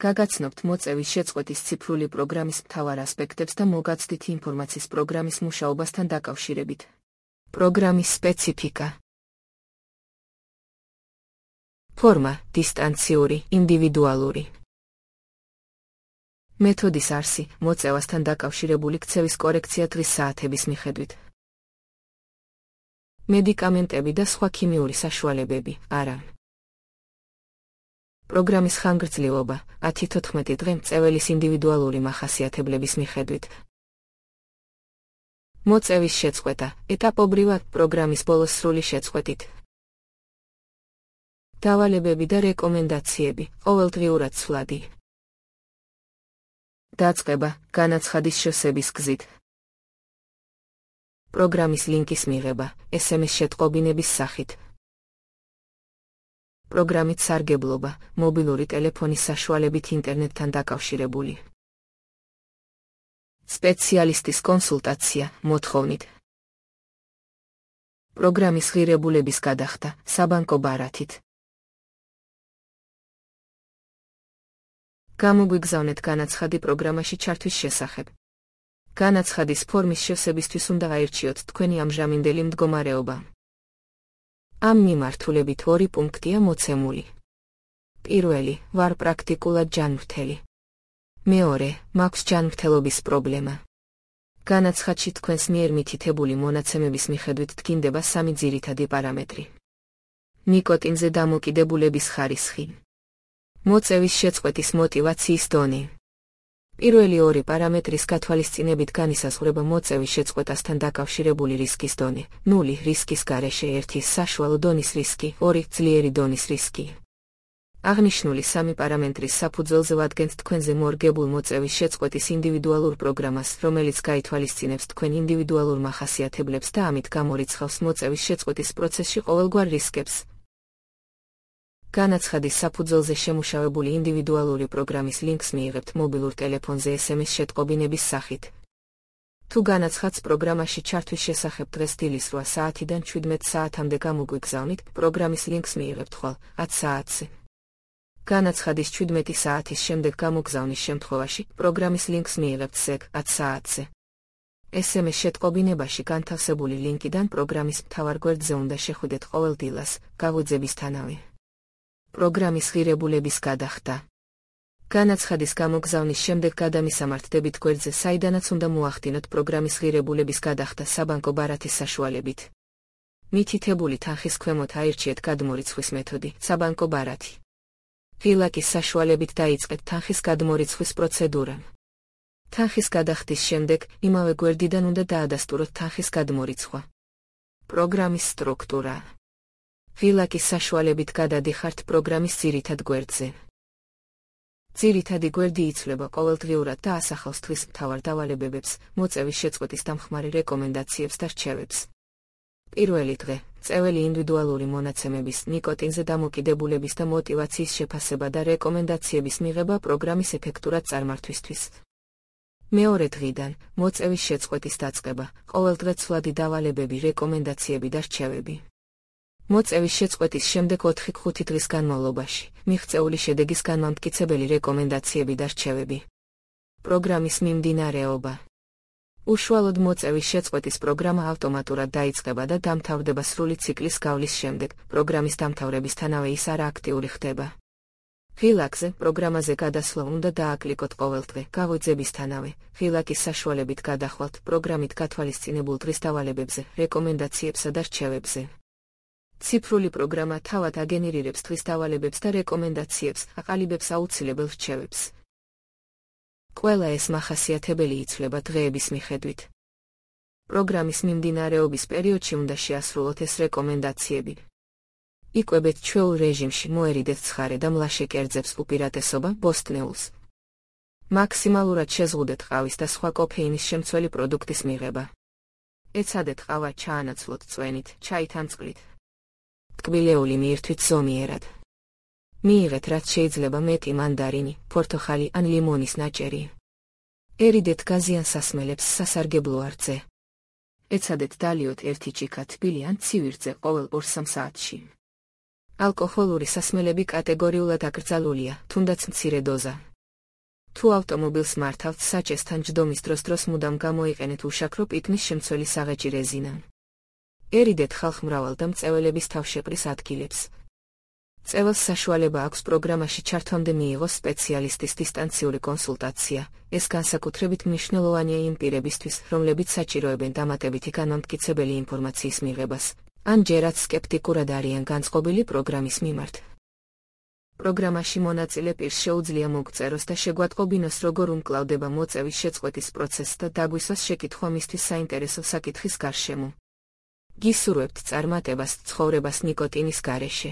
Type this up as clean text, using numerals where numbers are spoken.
გაგაცნობთ მოწევის შეწყვეტის ციფრული პროგრამის მთავარ ასპექტებს და მოგაცდით ინფორმაციის პროგრამის მუშაობასთან დაკავშირებით. პროგრამის სპეციფიკა. ფორმა: დისტანციური, ინდივიდუალური. მეთოდის არსი: მოწევასთან დაკავშირებული ქცევის კორექცია დღის საათების მიხედვით. მედიკამენტები და სხვა ქიმიური საშუალებები, არა. პროგრამის ხანგრძლივობა: 10-14 დღე მწეველის ინდივიდუალური მახასიათებლების მიხედვით. მოწევის შეწყვეტა: ეტაპობრივად, პროგრამის ბოლოს სრული შეწყვეტით. დავალებები და რეკომენდაციები, ყოველდღიურად ცვლადი. დაწყება: განაცხადის შევსების გზით. პროგრამის ლინკის მიღება, SMS შეტყობინების სახით. პროგრამით სარგებლობა, მობილური ტელეფონის საშუალებით ინტერნეტთან დაკავშირებული. სპეციალისტის კონსულტაცია, მოთხოვნით. პროგრამის ღირებულების გადახდა, საბანკო ბარათით. გამოგვიგზავნეთ განაცხადი პროგრამაში ჩართვის შესახებ. განაცხადის ფორმის შევსებისთვის უნდა აირჩიოთ თქვენი ამჟამინდელი მდგომარეობა. ამ მიმართულებით 2 პუნქტია მოცემული. პირველი: ვარ პრაქტიკულად ჯანმრთელი. მეორე: მაქვს ჯანმრთელობის პრობლემა. განაცხადში თქვენს მიერ მითითებული მონაცემების მიხედვით დგინდება 3 ძირითადი პარამეტრი. ნიკოტინზე დამოკიდებულების ხარისხი. მოწევის შეწყვეტის მოტივაციის დონე. პირველი 2 პარამეტრის გათვალისწინებით განისაზღვრება მოწევის შეწყვეტასთან დაკავშირებული რისკის დონე. 0 რისკის გარეშე 1 საშუალო დონის რისკი, 2 ძლიერი დონის რისკი. აღნიშნული 3 პარამეტრის საფუძველზე ვადგენთ თქვენზე მორგებულ მოწევის შეწყვეტის ინდივიდუალურ პროგრამას, რომელიც გაითვალისწინებს თქვენ ინდივიდუალურ მახასიათებლებს და ამით გამორიცხავს მოწევის შეწყვეტის პროცესში ყოველგვარ რისკებს. განაცხადის საფუძველზე შემუშავებული ინდივიდუალური პროგრამის ლინკს მიიღებთ მობილურ ტელეფონზე SMS შეტყობინების სახით. თუ განაცხადს პროგრამაში ჩართვის შესახებ დღეს დილის 8 საათიდან 17 საათამდე გამოგვიგზავნით, პროგრამის ლინკს მიიღებთ ხვალ 10 საათზე. განაცხადის 17 საათის შემდეგ გამოგზავნის შემთხვევაში, პროგრამის ლინკს მიიღებთ ზეგ 10 საათზე. SMS შეტყობინებაში განთავსებული ლინკიდან პროგრამის მთავარ გვერდზე უნდა შეხვიდეთ ყოველ დილას, გავუძებისთანავე. პროგრამის ღირებულების გადახდა. განაცხადის გამოგზავნის შემდეგ გადამისამართდებით გვერდზე, საიდანაც უნდა მოახდინოთ პროგრამის ღირებულების გადახდა საბანკო ბარათის საშუალებით. მითითებული თანხის ქვემოთ აირჩიეთ გადმორიცხვის მეთოდი, საბანკო ბარათი. ღილაკის საშუალებით დაიწყეთ თანხის გადმორიცხვის პროცედურა. თანხის გადახდის შემდეგ, იმავე გვერდიდან უნდა დაადასტუროთ თანხის გადმორიცხვა. პროგრამის სტრუქტურა. ღილაკის საშუალებით გადადიხართ პროგრამის ძირითად გვერდზე. ძირითადი გვერდი იცვლება ყოველდღიურად და ასახავს თვის მთავარ დავალებებებს, მოწევის შეწყვეტის დამხმარე რეკომენდაციებს და რჩევებს. პირველი დღე: მწეველი ინდივიდუალური მონაცემების, ნიკოტინზე დამოკიდებულების და მოტივაციის შეფასება და რეკომენდაციების მიღება პროგრამის ეფექტურად წარმართვისთვის. მეორე დღიდან: მოწევის შეწყვეტის დაწყება, ყოველდღე ცვლადი დავალებები, რეკომენდაციები და რჩევები. მოწევის შეწყვეტის შემდეგ 4-5 დღის განმავლობაში, მიღწეული შედეგის განმამტკიცებელი რეკომენდაციები და რჩევები. პროგრამის მიმდინარეობა. უშუალოდ მოწევის შეწყვეტის პროგრამა ავტომატურად დაიწყება და დამთავრდება სრული ციკლის გავლის შემდეგ, პროგრამის დამთავრებისთანავე ის არააქტიური ხდება. ღილაკზე, პროგრამაზე გადასვლა უნდა დააკლიკოთ ყოველდღე, გავუძებისთანავე, ღილაკის საშუალებით გადახვალთ პროგრამით გათვალისწინებულ დღის დავალებებზე, რეკომენდაციებსა და რჩევებზე. ციფრული პროგრამა თავად აგენერირებს დღის დავალებებს და რეკომენდაციებს, აყალიბებს აუცილებელ რჩევებს. ყველა ეს მახასიათებელი იცვლება დღეების მიხედვით. პროგრამის მიმდინარეობის პერიოდში უნდა შეასრულოთ ეს რეკომენდაციები. იკვებეთ ჩვეულ რეჟიმში, მოერიდეთ ცხარე და მლაშე კერძებს, უპირატესობა ბოსტნეულს. მაქსიმალურად შეზღუდეთ ყავის და სხვა კოფეინის შემცველი პროდუქტის მიღება. ეცადეთ ყავა ჩაანაცვლოთ წვენით, ჩაით ან წყლით. ტკბილეული მიირთვით ზომიერად. მიიღეთ რაც შეიძლება მეტი მანდარინი, პორტოხალი ან ლიმონის ნაჭერი. ერიდეთ გაზიან სასმელებს სასარგებლო არწზე. ეცადეთ დალიოთ 1 ჭიქა თბილი ან ცივი ყოველ 2-3 საათში. ალკოჰოლური სასმელები კატეგორიულად აკრძალულია, თუნდაც მცირე დოზა. თუ ავტომობილს მართავთ საჭესთან ჯდომის დროს მუდამ გამოიყენეთ უშაქრო პიკნის შემცველი საღეჭი რეზინა. ერიდეთ ხალხმრავალ და მწეველების თავშეყრის ადგილებს. წეველს საშუალება აქვს პროგრამაში ჩართვამდე მიიღოს სპეციალისტის დისტანციური კონსულტაცია. ეს განსაკუთრებით მნიშვნელოვანია იმ პირებისთვის, რომლებიც საჭიროებენ დამატებითი განმტკიცებელი ინფორმაციის მიღებას, ან ჯერაც სკეპტიკურად არიან განწყობილი პროგრამის მიმართ. პროგრამაში მონაწილე პირს შეუძლია მოგწეროს და შეგვატყობინოს, როგორ უმკლავდება მოწევის შეწყვეტის პროცესს და დაგვისვას შეკითხვა მისთვის საინტერესო საკითხის გარშემო. გისურვებთ წარმატებას ცხოვრებას ნიკოტინის გარეშე.